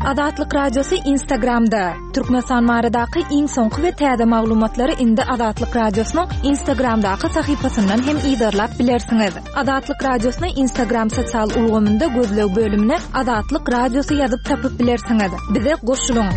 Azatlyk Radiosy Instagramda, Türkmenistan baradaky iň soňky we täze maglumatlary indi Azatlyk Radiosynyň Instagramdaky sahypasyndan hem yzarlap bilersiňiz. Azatlyk Radiosyny Instagram sosial ulgamynda gözleg bölümine Azatlyk Radiosy ýazyp tapyp bilersiňiz. Bize goşulyň!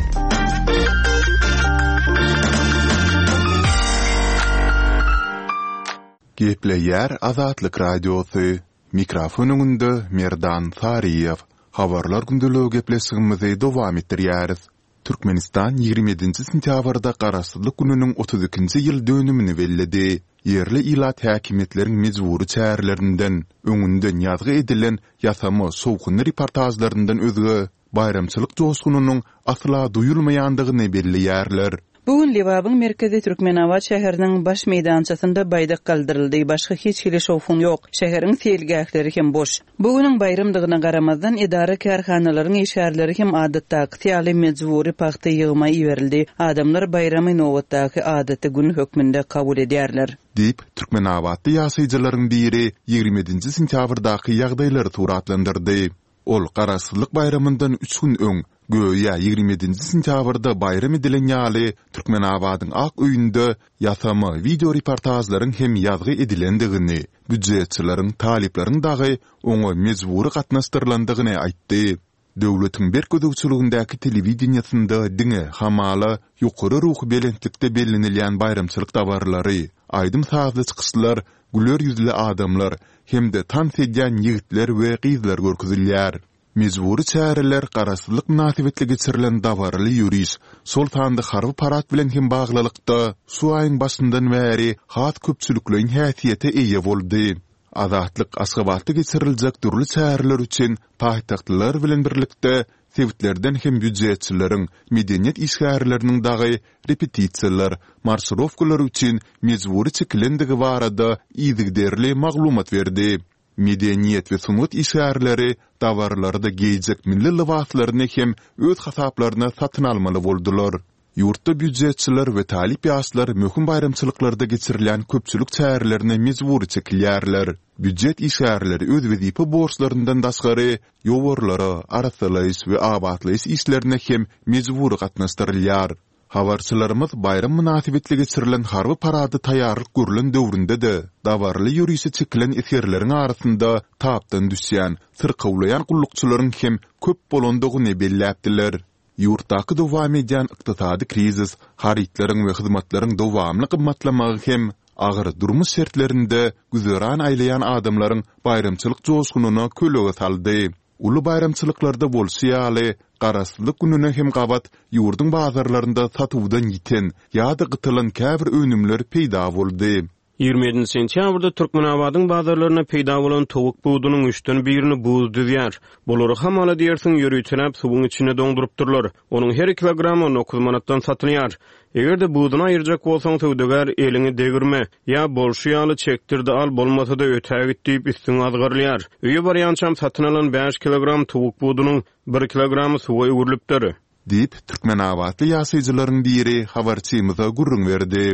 Gepleýär Azatlyk Radiosy, Mikrofon öňünde Merdan Saryýew. Habarlar gündeligi gepleşigimizi dowam etdirýäris. Türkmenistan 27-nji sentýabrda Garaşsyzlyk gününiň 32-nji ýyl dönümini belledi. Ýerli ilat häkimiýetleriň mejbury çärelerinden, öňünden ýazgy edilen ýasama şowhunly reportažlaryndan özge, baýramçylyk joşgunynyň asla duýulmaýandygyny belleýärler. Bu gün Lebabyň merkezi Türkmenabat şäheriniň baş meýdançasynda baýdak galdyryldy, başga hiç hili şowhun ýok. Şäheriň seýilgähleri hem boş. Bu günüň baýramdygyna garamazdan, edara-kärhanalaryň işgärleri hem adatdakysy ýaly mejbury pagta ýygyma iberildi. Adamlar baýramy nobatdaky adaty gün hökmünde kabul edýärler. Diýip, türkmenabatly ýaşaýjylaryň biri 27-nji sentýabrdaky ýagdaýlary suratlandyrdy. Ol Garaşsyzlyk baýramyndan üç gün öň, göýä 27-nji sentýabrda baýram edilen ýaly, Türkmenabadyň Ak öýünde ýasama wideoreportažlaryň hem ýazgy edilendigini, býujetçileriň, talyplaryň dagy oňa mejbury gatnaşdyrylandygyny aýtdy. Döwletiň berk gözegçiligindäki telewideniýesinde diňe, hamala, ýokary ruhubelentlikde bellenilýän baýramçylyk dabaralary, aýdym-sazly çykyşlar güler ýüzli adamlar hem-de tans edýän ýigitler we gyzlar görkezilýär. Mejbury çäreler Garaşsyzlyk mynasybetli geçirilen dabaraly ýöriş, şol sanda harby parad bilen hem baglylykda, şu aýyň başyndan bäri has köpçülikleýin häsiýete eýe boldy. Azatlyk Aşgabatda geçiriljek dürli çäreler üçin paýtagtlylar bilen birlikde sebitlerden hem býujetçileriň, medeniýet işgärleriniň dagy repetisiýalar, marşirowkalar üçin mejbury çekilendigi barada yzygiderli maglumat berdi. Medeniýet we sungat işgärleri dabaralarda geýjek milli lybaslaryny hem öz hasaplaryna satyn almaly boldular. Ýurtda býujetçiler we talyp ýaşlar möhüm baýramçylyklarda geçirilýän köpçülik çärelerine mejbury çekilýärler. Býujet işgärleri öz wezipe borçlaryndan daşgary ýowarlara, arassalaýyş we abatlaýyş işlerine hem mejbury gatnaşdyrylýar. Habarçylarymyz baýram mynasybetli geçirilen harby parada taýýarlyk görlen döwründe-de, dabaraly ýörişe çekilen esgerleriň arasynda tapdan düşýän, syrkawlaýan gullukçylaryň hem köp bolandygyny belläpdiler. Ýurtdaky dowam edýän ykdysady krizis, harytlaryň we hyzmatlaryň dowamly gymmatlamagy hem agyr durmuş şertlerinde güzeran aýlaýan adamlaryň baýramçylyk joşgunyna kölege saldy. Uly baýramçylyklarda bolşy ýaly, Garaşsyzlyk gününe hem gabat ýurduň bazarlarynda satuwdan ýiten ýa-da gytalan käbir önümler peýda boldy. 27 sentýabrda Türkmenabadyň bazarlarynda peýda bolan towuk budunyň üçden birini buz düzýär. Bulary hamala diýersiň ýöriteläp suwuň içinde doňdurypdyrlar. Onuň her kilogramy 19 manatdan satylýar. Eger-de buduny aýyrjak bolsaň, söwdagär eliňi degirme, ýa bolşy ýaly çekdir-de al, bolmasa-da ötägit diýip üstüňe azgyrylýar. Öýe barýançam satyn alan bäş kilogram towuk budunyň bir kilogramy suwa öwrülipdir. Diýip, türkmenabatly ýaşaýjylaryň biri habarçymyza gürrüň berdi.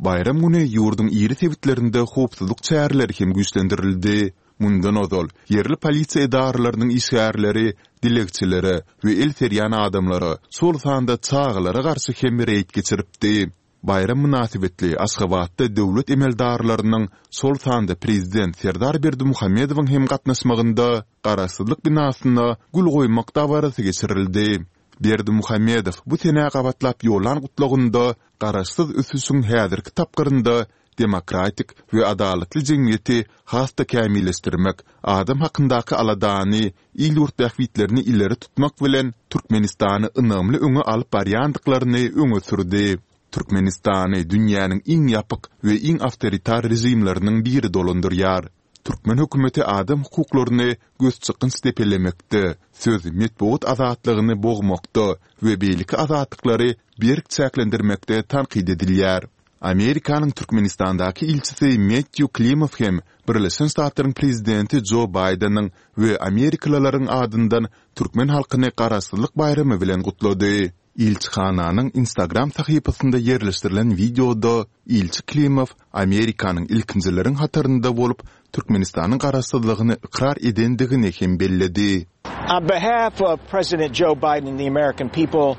Baýram güni ýurduň iri sebitlerinde howpsuzlyk çäreleri hem güýçlendirildi. Mundan ozal, ýerli polisiýa edaralarynyň işgärleri dilegçilere we el serýän adamlara, şol sanda çagalara garşy hem reýd geçiripdi. Baýram mynasybetli Aşgabatda döwlet emeldarlarynyň, şol sanda prezident Serdar Berdimuhamedowyň hem gatnaşmagynda Garaşsyzlyk binasyna gül goýmak dabarasy geçirildi. Berdimuhamedow bu senä gabatlap ýollan gutlagynda garaşsyz ösüşiň häzirki tapgyrynda demokratik we adalatly jemgyýeti has-da kämilleşdirmek, adam hakyndaky aladany, il-ýurt bähbitlerini ileri tutmak bilen, Türkmenistany ynamly öňe alyp barýandyklaryny öňe sürdi. Türkmenistany dünýäniň iň ýapyk we iň awtoritar režimleriniň biri dolandyrýar. Türkmen hökümeti adam hukuklaryny gözçykgynç depelemekde, söz, metbugat azatlygyny bogmakda we beýleki azatlyklary berk çäklendirmekde tankyt edilýär. Amerikanyň Türkmenistandaky ilçisi Mettýu Klimow hem Birleşen Ştatlaryň prezidenti Jo Baýdeniň we amerikalylaryň adyndan türkmen halkyny Garaşsyzlyk baýramy bilen gutlady. Ilçihananyň Instagram sahypasynda ýerleşdirilen wideoda ilçi Klimow Amerikanyň ilkinjileriň hatarynda bolup Türkmenistanyň garaşsyzlygyny ykrar edendigini hem belledi. On behalf of President Joe Biden and the American people,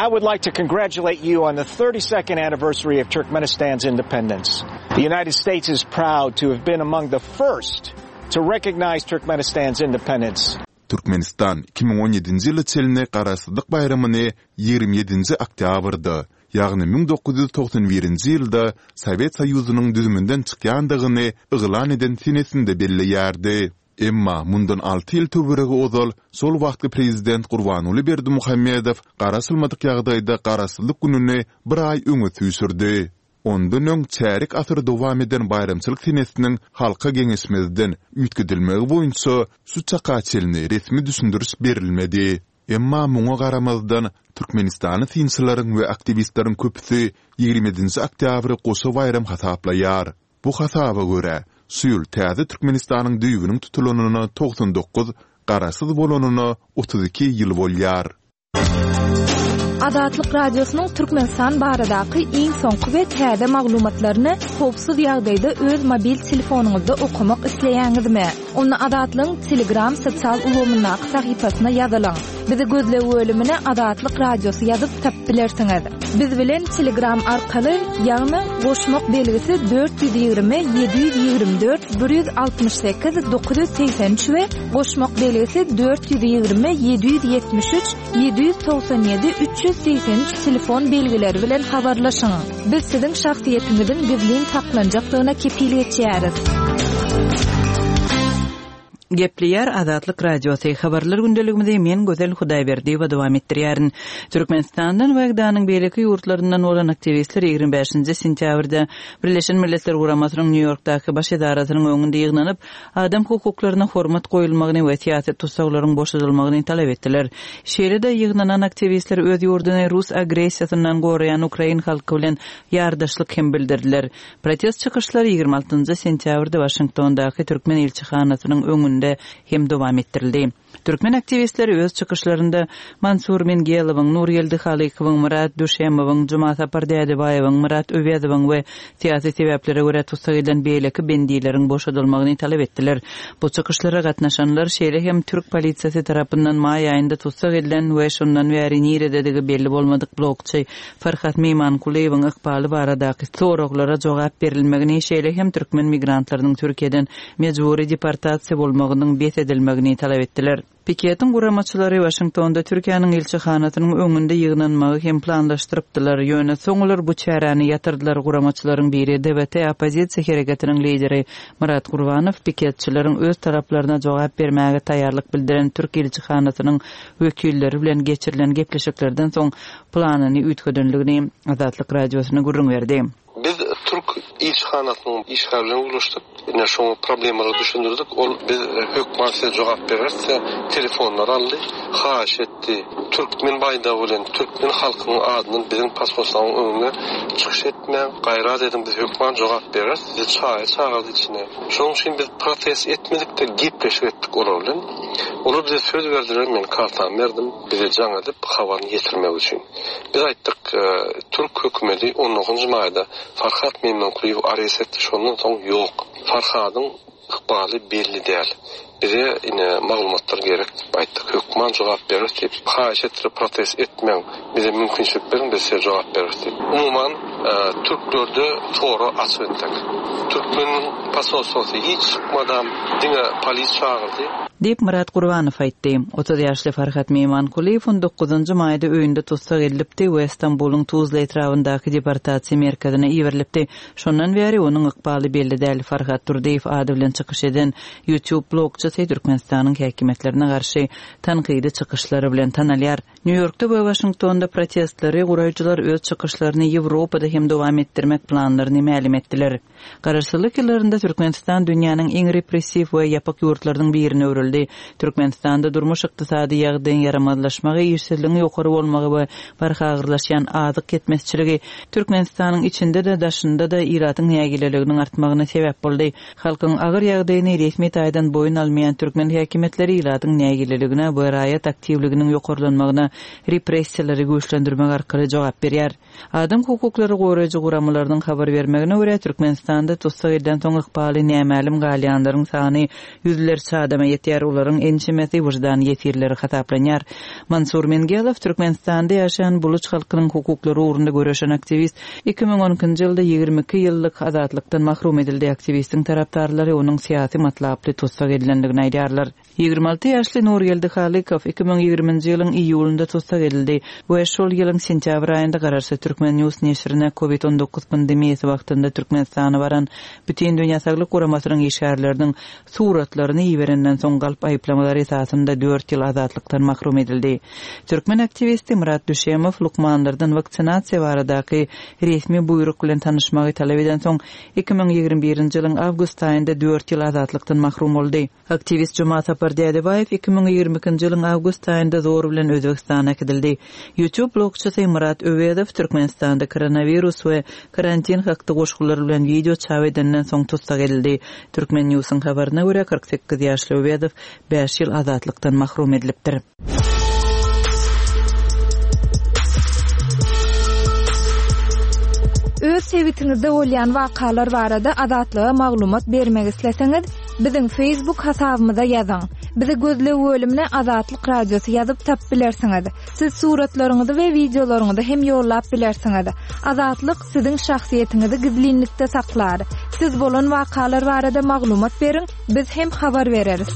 I would like to congratulate you on the 32nd anniversary of Turkmenistan's independence. The United States is proud to have been among the first to recognize Turkmenistan's independence. Türkmenistan 2017-nji ýyla çenli Garaşsyzlyk baýramyny 27-nji oktýabrda, ýagny 1991-nji ýylda Sowet Soýuzynyň düzüminden çykýandygyny yglan eden senesinde belleýärdi. Emma mundan alty ýyl töweregi ozal şol wagtky prezident Gurbanguly Berdimuhamedow garaşylmadyk ýagdaýda Garaşsyzlyk gününi bir aý öňe süýşürdi. Ondan öň çärýek asyr dowam eden baýramçylyk senesiniň halka geňeşmezden üýtgedilmegi boýunça şu çaka çenli resmi düşündiriş berilmedi. Emma muňa garamazdan, türkmenistanly synçylaryň we aktiwistleriň köpüsi 27-nji oktýabry goşa baýram hasaplaýar. Bu hasaba görä, şu ýyl täze Türkmenistanyň düýbüniň tutulanyna 99, garaşsyz bolanyna 32 ýyl bolýar. Azatlyk Radiosynyň Türkmenistan baradaky iň soňky we täze maglumatlaryny howpsuz ýagdaýda öz mobil telefonyňyzda okamak isleýäňizmi? Onda Azatlygyň Telegram sosial ulgamyndaky sahypasyna ýazylyň. Bizi gözleg bölümine Azatlyk Radiosy ýazyp tapyp bilersiňiz. Biz bilen Telegram arkaly, ýagny goşmak belgisi 420 724 168 983 we goşmak belgisi 420 773 797 383 telefon belgileri bilen habarlaşyň. Biz siziň şahsyýetiňiziň gizlin saklanjakdygyna kepil geçýäris. Gepleýär Azatlyk Radiosy, Habarlar gündeligimizi men Gözel Hudaýberdiýewa dowam etdirýärin. Türkmenistandan we GDA-nyň beýleki ýurtlaryndan bolan aktiwistler 25-nji sentýabrda Birleşen Milletler Guramasynyň Nýu-Ýorkdaky baş edarasynyň öňünde ýygnanyp, adam hukuklaryna hormat goýulmagyny we syýasy tussaglaryň boşadylmagyny talap etdiler. Şeýle-de, ýygnanan aktiwistler öz ýurduny rus agressiýasyndan goraýan ukrain halky bilen ýardaşlyk hem bildirdiler. Protest çykyşlary 26 njy sentýabrda Waşingtondaky türkmen ilçihanasynyň öňünde hem dowam etdirildi. Türkmen aktiwistleri öz çykyşlarynda Mansur Mingelowyň, Nurgeldi Halykowyň, Myrat Düşemowyň, Jumasapar Dädebaýewiň, Myrat Öwezowyň we syýasy sebäplere görä tussag edilen beýleki bendileriň boşadylmagyny talap etdiler. Bu çykyşlara gatnaşanlar şeýle hem türk polisiýasy tarapyndan maý aýynda tussag edilen we şondan bäri nirededigi belli bolmadyk blogçy Farhat Meýmankulyýewiň ykbaly baradaky soraglara jogap berilmegini, şeýle hem türkmen migrantlarynyň Türkiýeden mejbury deportasiýa bolmagynyň bes edilmegini talap etdiler. Piketiň guramaçylary Waşingtonda Türkiýäniň ilçihanasynyň öňünde ýygnanmagy hem planlaşdyrypdylar, ýöne soň olar bu çäräni ýatyrdylar. Guramaçylaryň biri, DWT oppozisiýa hereketiniň lideri Myrat Gurbanow piketçileriň öz talaplaryna jogap bermäge taýýarlyk bildiren türk ilçihanasynyň wekilleri bilen geçirilen gepleşiklerden soň planyny üýtgedenligini Azatlyk Radiosyna gürrüň berdi. Biz türk ilçihanasynyň işgäri bilen gürleşdik. Ine şoňa problemalary düşündirdik. Ol biz hökman size jogap bereris diýip telefonlary aldy. Haýyş etdi. Türkmen baýdagy bilen türkmen halkynyň adyndan biziň posholstwanyň öňünde çykyş etmäň. Gaýrat ediň biz hökman jogap bereris. Bizi çaýa çagyrdy içine. Şonuň üçin biz protest etmedik-de gepleşik etdik olar bilen. Olar bize söz berdiler men kartamy berdim. Bize jaň edip habaryny ýetirmek üçin. Biz aýtdyk, türk hökümedi on dokuzynjy maýda Farhat Meýmankulyýewi arest etdi, şondan soň ýok. Farhadyň ykbaly belli däl. Bize ine maglumatlar gerek diýip aýtdyk. Hökman jogap bereris diýip, haýyş etdiler protest etmäň, bize mümkinçilik beriň biz size jogap bereris diýip. Umuman türklerde tora açyk entek. Türkmen posolstwosy hiç çykmadam, diňe polis çagyrdy. Diýip, Myrat Gurbanow aýtdy. 30 ýaşly Farhat Meýmankulyýew on dokuzynjy maýda öýünde tussag edilipdi we Stambulyň Tuzla etrabyndaky deportasiýa merkezine iberilipdi. Şondan bäri onuň ykbaly belli däl. Farhat Durdyýew ady bilen çykyş eden YouTube blogçysy Türkmenistanyň häkimiýetlerine garşy tankydy çykyşlary bilen tanalýar. Nýu-Ýorkda we Waşingtonda protestleri guraýjylar öz çykyşlaryny Ýewropada hem dowam etdirmek planlaryny mälim etdiler. Garaşsyzlyk ýyllarynda Türkmenistan dünýäniň iň repressiw we ýapyk ýurtlarynyň birine öwrüldi. Türkmenistanda durmuş-ykdysady ýagdaýyň ýaramazlaşmagy, işsizligiň ýokary bolmagy we barha agyrlaşýan azyk ýetmezçiligi Türkmenistanyň içinde-de, daşynda-da ilatyň nägileliginiň artmagyna sebäp boldy. Halkyň agyr ýagdaýyny resmi taýdan boýun almaýan türkmen häkimiýetleri ilatyň nägileligine we raýat aktiwliginiň ýokarlanmagyna repressiýalary güýçlendirmek arkaly jogap berýär. Adam hukuklary. hukuklary goraýjy guramalarynyň habar bermegine görä, Türkmenistanda tussag edilensoň ykbaly nämälim galýanlaryň sany ýüzlerçe adama ýetýär, olaryň ençemesi wyždan ýesirleri hasaplanýar. Mansur Mengelow, Türkmenistanda ýaşaýan buluç halkynyň hukuklary ugrunda göreşen aktiwist, 2012-nji ýylda 22 ýyllyk azatlykdan mahrum edildi. Aktiwistiň tarapdarlary onuň syýasy matlaply tussag edilendigini aýdýarlar. 26 ýaşly Nurgeldi Halykow 2020-nji ýylyň iýulynda tussag edildi we şol ýylyň sentýabr aýynda garaşsyz Turkmen. News neşirine Covid 19 pandemiýasy wagtynda Türkmenistana baran Bütindünýä Saglyk Guramasynyň işgärleriniň suratlaryny iberenden soň galp aýyplamalar esasynda dört ýyl azatlykdan mahrum edildi. Türkmen aktiwisti Myrat Düşemow lukmanlardan waksinasiýa baradaky resmi buýruk bilen tanyşmagy talap edensoň, 2021-nji ýylyň awgust aýynda dört ýyl azatlykdan mahrum boldy. Aktiwist Jumasapar Dädebaýew 2022-nji ýylyň awgust aýynda zor bilen Özbegistana äkidildi. YouTube blogçysy Myrat Öwezow Türkmenistanda koronawirus we karantin hakda goşgular bilen wideo çap edenden soň tussag edildi. Turkmen Newsiň habaryna görä, 48 ýaşly Öwezow bäş ýyl azatlykdan mahrum edilipdir. Öz sebitiňizde bolýan wakalar barada Azatlyga maglumat bermek isleseňiz, biziň Facebook hasabymyza ýazyň. Bizi gözleg bölümine Azatlyk Radiosy ýazyp tapyp bilersiňiz. Siz suratlaryňyzy we wideolaryňyzy hem ýollap bilersiňiz. Azatlyk siziň şahsyýetiňizi gizlinlikde saklar. Siz bolan wakalar barada maglumat beriň, biz hem habar bereris.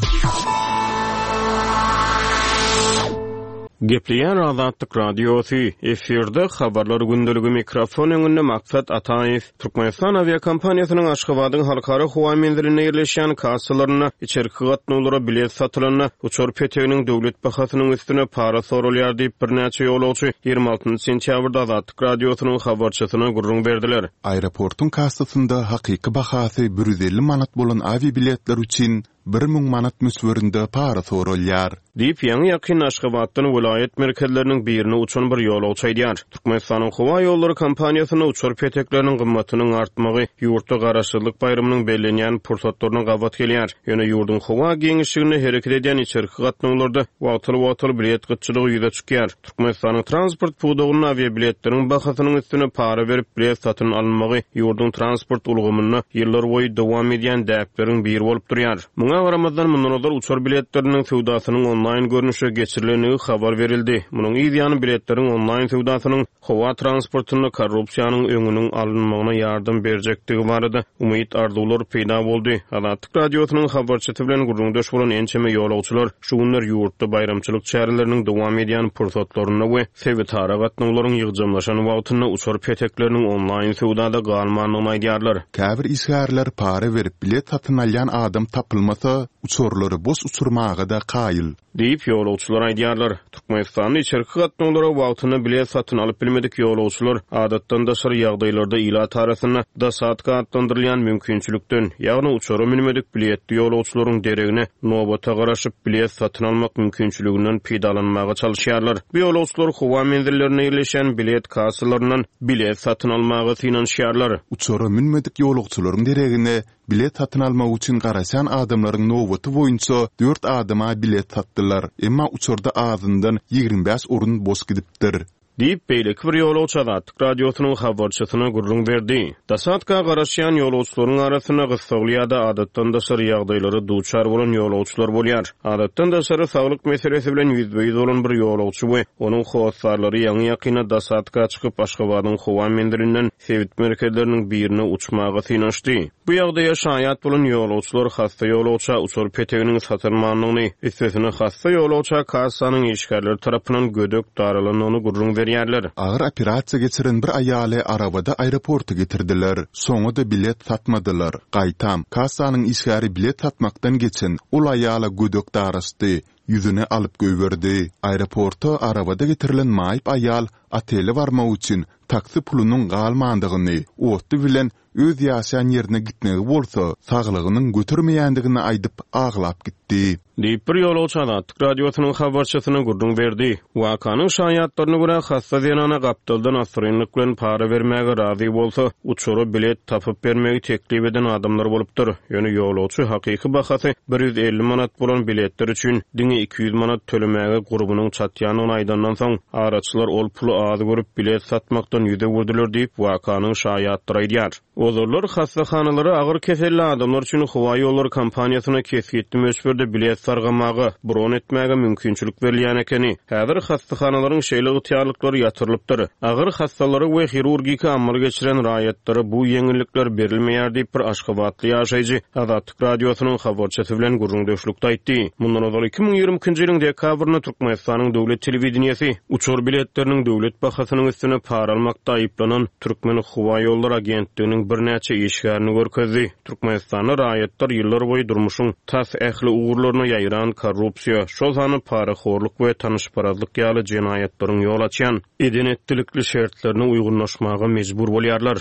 Gepleýär Azatlyk Radiosy, efirde Habarlar gündeligi mikrofon öňünde Maksat Ataýew. Türkmenistan awiakompaniýasynyň Aşgabadyň halkara howa menzilinde ýerleşýän kassalarynda içerki gatnawlara bilet satylanda, uçar peteginiň döwlet bahasynyň üstüne para soralýar diýip, birnäçe ýolagçy 26 sentýabrda Azatlyk Radiosynyň habarçysyna gürrüň berdiler. Aeroportuň kassasynda hakyky bahasy 150 manat bolan awiabiletler üçin 1000 manat möçberinde para soralýar. Diýip, ýaňy-ýakynda Aşgabatdan welaýat merkezleriniň birine uçan bir ýolagçy aýdýar. Türkmenistanyň howa ýollary kompaniýasynda uçar petekleriniň gymmatynyň artmagy ýurtda Garaşsyzlyk baýramynyň bellenýän pursatlaryna gabat gelýär. Ýöne ýurduň howa giňişliginde hereket edýän içerki gatnawlarda wagtal-wagtal bilet gytçylygy ýüze çykýar. Türkmenistanyň transport pudagynda awiabiletleriň bahasynyň üstüne para berip bilet satyn alynmagy ýurduň transport ulgamynda ýyllarboýy dowam edýän däpleriň biri bolup durýar. Muňa garamazdan, mundan ozal uçar biletleriniň söwdasynyň onlaýn görnüşe geçirilendigi habar berildi. Munuň yz ýany biletleriň onlaýn söwdasynyň howa transportynda korrupsiýanyň öňüniň alynmagyna ýardam berjekdigi barada umyt-arzuwlar peýda boldy. Azatlyk Radiosynyň habarçysy bilen gürrüňdeş bolan ençeme ýolagçylar şu günler ýurtda baýramçylyk çäreleriniň dowam edýän pursatlarynda we sebitara gatnawlaryň ýygjamlaşan wagtynda uçar petekleriniň onlaýn söwdada galmandygyny aýdýarlar. Käbir işgärler para berip bilet satyn alýan adam tapylmasa, uçarlary boş uçurmaga-da kaýyl. Diýip, ýolagçylar aýdýarlar. Türkmenistanda içerki gatnawlara wagtynda bilet satyn alyp bilmedik ýolagçylar adatdan daşary ýagdaýlarda ilat arasynda dosadka atlandyrylýan mümkinçilikden, ýagny uçara münmedik biletli ýolagçylaryň deregine nobata garaşyp bilet satyn almak mümkinçiliginden peýdalanmaga çalyşýarlar. Bu ýolagçylar howa menzillerinde ýerleşýän bilet kassalaryndan bilet satyn almaga synanyşýarlar. Uçara münmedik ýolagçylaryň deregine Bilet satyn almak üçin garaşan adamlaryň nobaty boýunça dört adama bilet satdylar, emma uçarda azyndan 25 orun boş gidipdir. Diýip, beýleki bir ýolagçy Azatlyk Radiosynyň habarçysyna gürrüň berdi. Dosadka garaşýan ýolagçylaryň arasynda gyssagly ýa-da adatdan daşary ýagdaýlara duçar bolan ýolagçylar bolýar. Adatdan daşary saglyk meselesi bilen ýüzbe-ýüz bolan bir ýolagçy we onuň hossarlary ýaňy-ýakynda dosadka çykyp, Aşgabadyň howa menzilinden sebit merkezleriniň birine uçmaga synanyşdy. Bu ýagdaýa şaýat bolan ýolagçylar hassa ýolagça uçar peteginiň satylmandygyny, üstesine hassa ýolagça kassanyň işgärleri tarapyndan gödek daralandygyny gürrüň berýärler. Agyr operasiýa geçiren bir aýaly arabada aeroporta getirdiler. Şoňa-da bilet satmadylar. Gaýtam, kassanyň işgäri bilet satmakdan geçen, ol aýala gödek daraşdy, ýüzüni alyp goýberdi. Aeroporta arabada getirilen maýyp aýal otele barmak üçin taksi pulunyň galmandygyny, otly bilen. Öz ýaşaýan ýerine gitmegi bolsa, saglygynyň götermeýändigini aýdyp, aglap gitdi. Diýip, bir ýolagçy Azatlyk Radiosynyň habarçysyna gürrüň berdi. Wakanyň şaýatlaryna görä, hassa zenana gapdaldan assyrynlyk bilen para bermäge razy bolsa, uçara bilet tapyp bermegi teklip eden adamlar bolupdyr. Ýöne ýolagçy hakyky bahasy 150 manat bolan biletler üçin diňe 200 manat tölemäge gurbunyň çatýandygyny aýdandan soň, araçylar ol puly az görüp, bilet satmakdan ýüz öwürdiler diýip, wakanyň şaýatlary aýdýar. Ozallar hassahanalara agyr keselli adamlar üçin howaýollary kompaniýasyna kesgitli möçberde bilet sargamaga, bron etmäge mümkinçilik berilýän ekeni. Häzir hassahanalaryň şeýle ygtyýarlyklary ýatyrylypdyr. Agyr hassalara we hirurgiki amal geçiren raýatlara bu ýeňillikler berilmeýär diýip, bir aşgabatly ýaşaýjy Azatlyk Radiosynyň habarçysy bilen gürrüňdeşlikde aýtdy. Mundan ozal 2022-nji ýylyň dekabrynda Türkmenistanyň döwlet telewideniýesi uçar biletleriniň döwlet bahasynyň üstüne para almakda aýyplanan Türkmenhowaýollary agentliginiň birnäçe işgärini görkezdi. Türkmenistanda raýatlar ýyllarboýy durmuşyň tas ähli ugurlaryna ýaýran korrupsiýa, şol sanda parahorluk we tanyşparazlyk ýaly jenaýatlaryň ýol açýan eden-etdilikli şertlerine uýgunlaşmaga mejbur bolýarlar.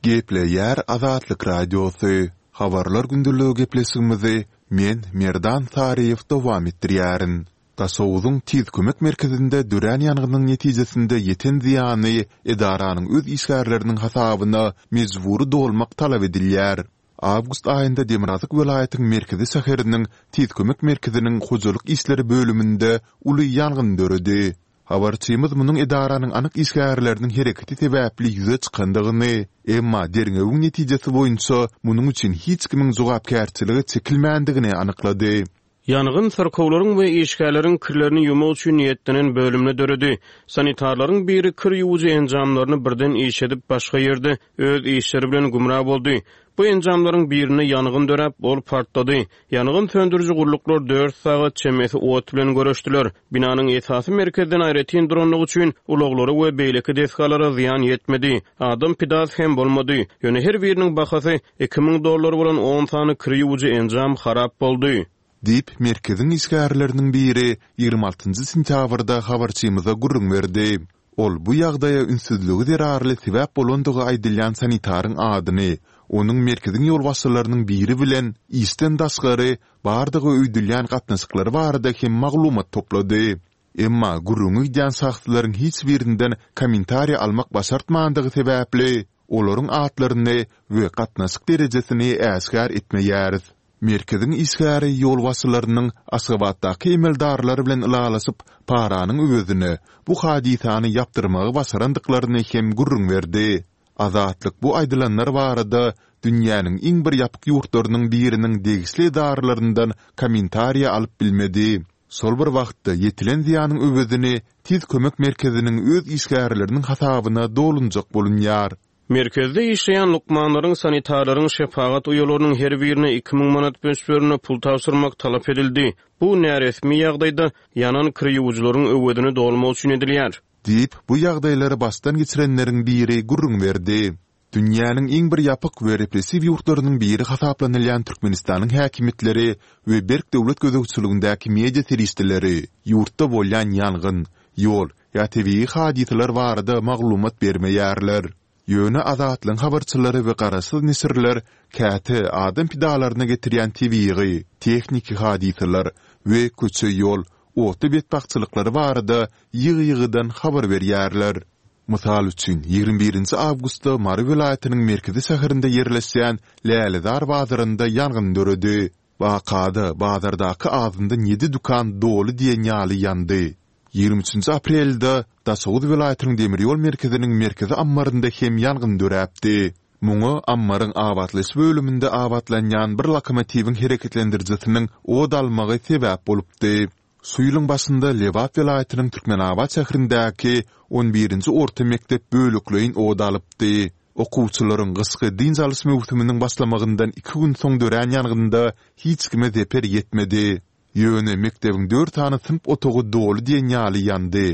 Gepleýär Azatlyk Radiosy, Habarlar gündeligi gepleşigimizi men, Merdan Saryýew dowam etdirýärin. Daşoguzyň Tiz kömek merkezinde dörän ýangynyň netijesinde ýeten zyýany edaranyň öz işgärleriniň hasabyna mejbury dolmak talap edilýär. Awgust aýynda demirgazyk welaýatyň merkezi şäheriniň Tiz kömek merkeziniň hojalyk işleri bölüminde uly ýangyn döredi. Habarçymyz munuň edaranyň anyk işgärleriniň hereketi sebäpli ýüze çykandygyny, emma derňewiň netijesi boýunça munuň üçin hiç kimiň jogapkärçilige çekilmändigini anyklady. Ýangyn syrkawlaryň we işgärleriň kirlerini ýuwmak üçin niýetlenen bölümde döredi. Sanitarlaryň biri kir ýuwujy enjamlaryny birden işledip, başga ýerde öz işleri bilen gümra boldy. Bu enjamlaryň birinde ýangyn döräp, ol partlady. Ýangyn söndüriji gulluklar dört sagat çemesi ot bilen göreşdiler. Binanyň esasy merkezden aýratyn durandygy üçin ulaglara we beýleki desgalara zyýan ýetmedi. Adam pidasy hem bolmady. Ýöne her biriniň bahasy 2000 dollar bolan on sany kir ýuwujy enjam harap boldy. Diýip, merkeziň işgärleriniň biri 26 sentýabrda habarçymyza gürrüň berdi. Ol bu ýagdaýa ünssüzligi zerarly sebäp bolandygy aýdylýan sanitaryň adyny, onuň merkeziň ýolbaşçylarynyň biri bilen işden daşgary bardygy öýdülýän gatnaşyklary barada hem maglumat toplady. Emma gürrüňi gidýän şahslaryň hiç birinden kommentariý almak başartmandygy sebäpli, olaryň atlaryny we gatnaşyk derejesini äşgär etmeýäris. Merkeziň işgäri ýolbaşçylarynyň Aşgabatdaky emeldarlar bilen ylalaşyp, paranyň öwezine bu hadysany ýapdyrmagy başarandyklaryny hem gürrüň berdi. Azatlyk bu aýdylanlar barada dünýäniň iň bir ýapyk ýurtlarynyň biriniň degişli edaralaryndan kommentariýa alyp bilmedi. Şol bir wagtda, ýetilen zyýanyň öwezini Tiz kömek merkeziniň öz işgärleriniň hasabyna dolunjak bolunýar. Merkezde işleýän lukmanlaryň, sanitarlaryň, şepagat uýalarynyň her birine 2000 manat möçberinde pul tabşyrmak talap edildi. Bu näresmi ýagdaýda ýanan kir ýuwujylaryň öwezini dolmak üçin edilýär. Diýip, bu ýagdaýlary başdan geçirenleriň biri gürrüň berdi. Dünýäniň iň bir ýapyk we repressiw ýurtlarynyň biri hasaplanylýan Türkmenistanyň häkimiýetleri we berk döwlet gözegçiligindäki media serişdeleri ýurtda bolýan ýangyn, ýol ýa tebigy hadysalar barada maglumat bermeýärler. Ýöne Azatlygyň habarçylary we garaşsyz neşirler käte adam pidalaryna getirýän tebigy, tehniki hadysalar we köçe-ýol, otly betbagtçylyklary barada ýygy-ýygydan habar berýärler. Mysal üçin, 21 nji awgustda Mary welaýatynyň merkezi şäherinde ýerleşýän Lälezar bazarynda ýangyn döredi. Wakada bazardaky azyndan ýedi dükan doly diýen ýaly ýandy. 23 nji aprelde Daşoguz welaýatynyň demir ýol merkeziniň merkezi ammarynda hem ýangyn döräpdi. Muňa ammaryň abatlaýyş bölüminde abatlanýan bir lokomotiwiň hereketlendirijisiniň ot almagy sebäp bolupdy. Şu ýylyň başynda Lebap welaýatynyň Türkmenabat şäherindäki on birinji orta mekdep bölekleýin ot alypdy. Okuwçylaryň gyşky dynç alyş möwsüminiň başlamagyndan iki gün soň dörän ýangynda hiç kime zeper ýetmedi. Ýöne mekdebiň dört sany synp otagy doly diýen ýaly ýandy.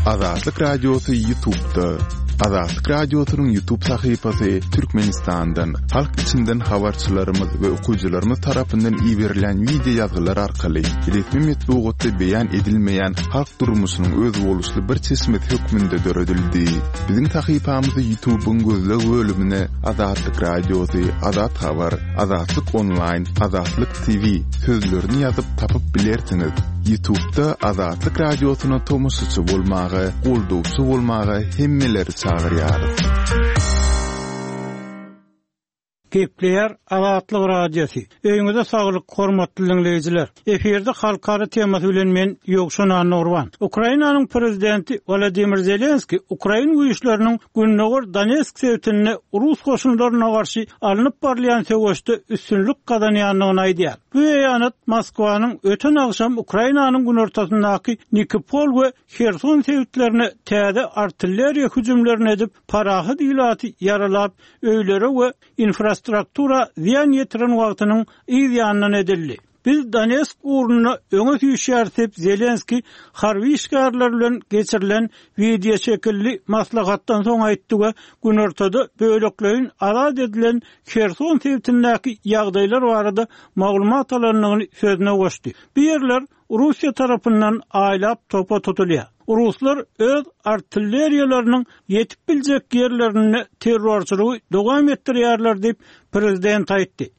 Azatlyk Radiosy YouTube'da. Azatlyk Radiosynyň YouTube sahypasy Türkmenistandan, halk içinden habarçylarymyz we okyjylarymyz tarapyndan iberilýän wideo ýazgylar arkaly resmi metbugatda beýan edilmeýän halk durmuşynyň özboluşly bir çeşmesi hökmünde döredildi. Biziň sahypamyzy YouTube-yň gözleg bölümine Azatlyk Radiosy, Azat Habar, Azatlyk Onlaýn, Azatlyk TV sözlerini ýazyp tapyp bilersiňiz. Ýutubda Azatlyk Radiosyna tomaşaçy bolmaga, goldawçy bolmaga hemmeleri çagyrýarys. Gepleýär Azatlyk Radiosy. Öýüňize saglyk, hormatly diňleýjiler! Efirde halkara temasy bilen men Ýowşan Annagurban. Ukrainanyň prezidenti Wolodymyr Zelenskiý ukrain güýçleriniň gündogar Donetsk sebitinde rus goşunlaryna garşy alnyp barylýan söweşde üstünlik gazanýandygyny aýdýar. Bu beýanat Moskwanyň öten agşam Ukrainanyň günortasyndaky Nikipol we Herson sebitlerine täze artilleriýa hüjümlerini edip, parahat ilaty ýaralap, öýlere we infrastruktura zyýan ýetiren wagtynyň yz ýanyndan edildi. Biz Donetsk ugrunda öňe süýşýäris diýip, Zelenskiý harby işgärler bilen geçirilen wideoşekilli maslahatdan soň aýtdy we günortada bölekleýin azat edilen Herson sebitindäki ýagdaýlar barada maglumat alandygyny sözüne goşdy. Bu ýerler Russiýa tarapyndan aýlap topa tutulýar. Ruslar öz artilleriýalarynyň ýetip biljek ýerlerinde terrorçylygy dowam etdirýärler diýip, prezident aýtdy.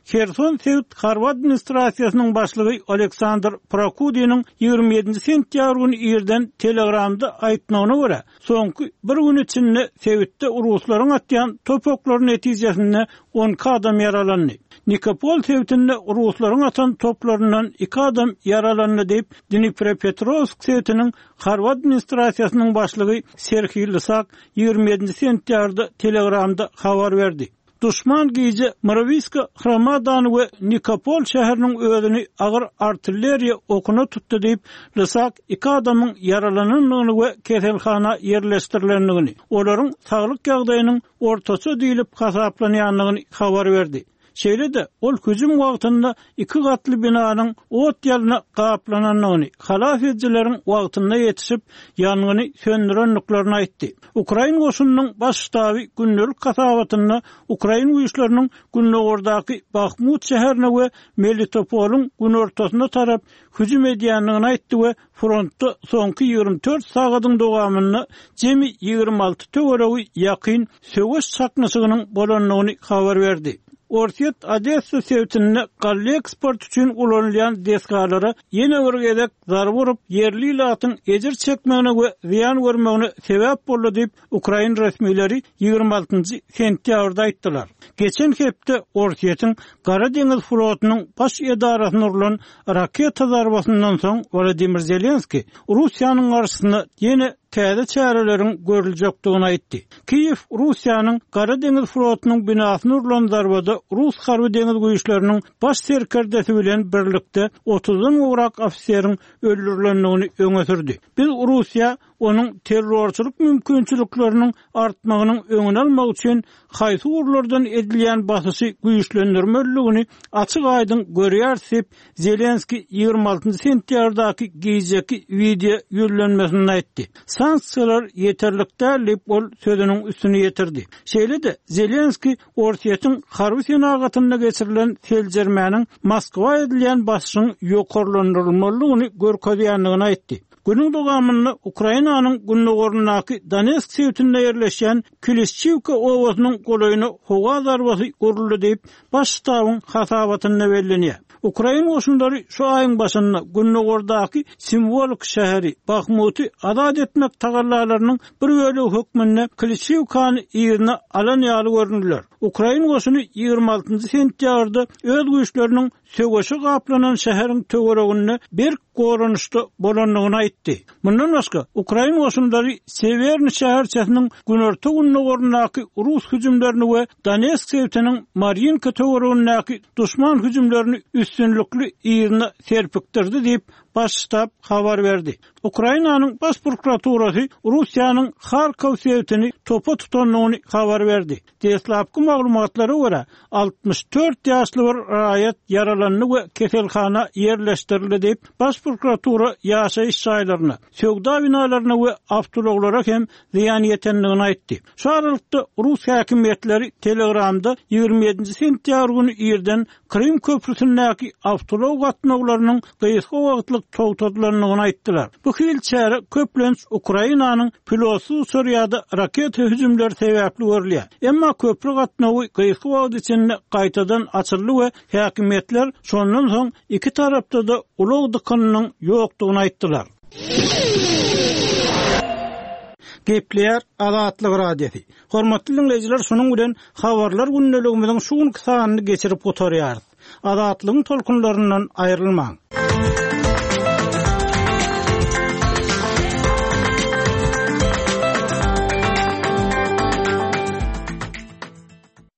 Herson sebit harby administrasiýasynyň başlygy Oleksandr Prokudiniň 27-nji sentýabr güni irden Telegramda aýtmagyna görä, soňky bir gün içinde sebitde ruslaryň atýan top oklary netijesinde 12 adam ýaralandy. Nikopol sebitinde ruslaryň atan toplaryndan iki adam ýaralandy diýip, Dniprepetrowsk sebitiniň harby administrasiýasynyň başlygy Serhiý Lysak 27-nji sentýabrda Telegramda habar berdi. Duşman gije Myrowiska Hromadany we Nikopol şäheriniň özüni agyr artilleriýa okuna tutdy diýip, Lysak iki adamyň ýaralanandygyny we keselhana ýerleşdirilendigini, olaryň saglyk ýagdaýynyň ortaça diýlip hasaplanýandygyny habar berdi. Şeýle-de, ol hüjüm wagtynda iki gatly binanyň ot-ýalna gaplanandygyny, halas edijileriň wagtynda ýetişip, ýangyny söndürendiklerini aýtdy. Ukrain goşunynyň Baş ştaby gündelik hasabatynda ukrain güýçleriniň gündogardaky Bahmut şäherine we Melitopolyň günortasyna tarap hüjüm edýändigini aýtdy we frontda soňky 24 sagadyň dowamynda jemi 26 töweregi ýakyn söweş çaknyşygynyň bolandygyny habar berdi. Orsýet Odessa sebitinde galla eksporty üçin ulanylýan desgalara ýene bir gezek zarba urup, ýerli ilatyň ejir çekmegine we zyýan görmegine sebäp boldy diýip, ukrain resmileri 26 njy sentýabrda aýtdylar. Geçen hepde Orsýetiň Gara deňiz flotunyň baş edarasyna urlan raketa zarbasyndan soň Wolodymyr Zelenskiý Russiýanyň garşysyna ýene täze çäreleriň görüljekdigini aýtdy. Kiýew Russiýanyň Gara deňiz flotunyň binasyna urlan zarbada rus harby deňiz güýçleriniň baş serkerdesi bilen birlikde otuzdan gowrak ofiseriň öldürilendigini öňe sürdi. Biz Russiýa onuň terrorçylyk mümkinçilikleriniň artmagynyň öňüni almak üçin haýsy ugurlardan edilýän basyşy güýçlendirmelidigini açyk-aýdyň görýäris diýip, Zelenskiý 26 njy sentýabrdaky gijeki wideo ýüzlenmesinde aýtdy. Sanksiýalar ýeterlik däl diýip, ol sözüniň üstüni ýetirdi. Şeýle-de, Zelenskiý Orsýetiň harby senagatynda geçirilen seljermäniň Moskwa edilýän basyşyň ýokarlandyrylmalydygyny görkezýändigini aýtdy. Günüň dowamynda Ukrainanyň gündogaryndaky Donetsk sebitinde ýerleşýän Klişçiwka obasynyň golaýyna howa zarbasy uruldy diýip, Baş ştabyň hasabatynda bellenýär. Ukrain goşunlary şu aýyň başynda gündogardaky simwolik şäheri Bahmuty azat etmek tagallalarynyň bir bölegi hökmünde Klişçiwkany yzyna alan ýaly göründiler. Ukrain goşuny 26 sentýabrda öz güýçleriniň söweşe gaplanan şäheriň töwereginde berk goranyşda bolandygyny aýtdy. Mundan başga, ukrain goşunlary Sewerny şäherçesiniň günorta-gündogaryndaky rus hüjümlerini we Donetsk sebitiniň Marýinka töweregindäki duşman hüjümlerini üstünlikli yzyna serpikdirdi diýip, Baş ştab habar berdi. Ukrainanyň Baş prokuraturasy Russiýanyň Harkow sebitini topa tutandygyny habar berdi. Deslapky maglumatlara görä, 64 ýaşly bir raýat ýaralandy we keselhana ýerleşdirildi diýip, Baş prokuratura ýaşaýyş jaýlaryna, söwda binalaryna we awtoulaglara hem zyýan ýetendigini aýtdy. Şu aralykda, rus häkimiýetleri Telegramda 27-nji sentýabr güni irden Krym köprüsindäki awtoulag gatnawlarynyň gysga wagtlyk togtadylandygyny aýtdylar. Bu hili çäre köplenç Ukrainanyň pilotsyz uçar ýa-da raketa hüjümleri sebäpli görülýär. Emma köpri gatnawy gysga wagt içinde gaýtadan açyldy we häkimiýetler şondan soň iki tarapda-da ulag dykynynyň ýokdugyny aýtdylar. Gepleýär Azatlyk Radiosy. Hormatly diňleýjiler şunuň bilen Habarlar gündeligimiziň şu günki sanyny geçirip gutarýarys. Azatlygyň tolkunlaryndan aýrylmaň.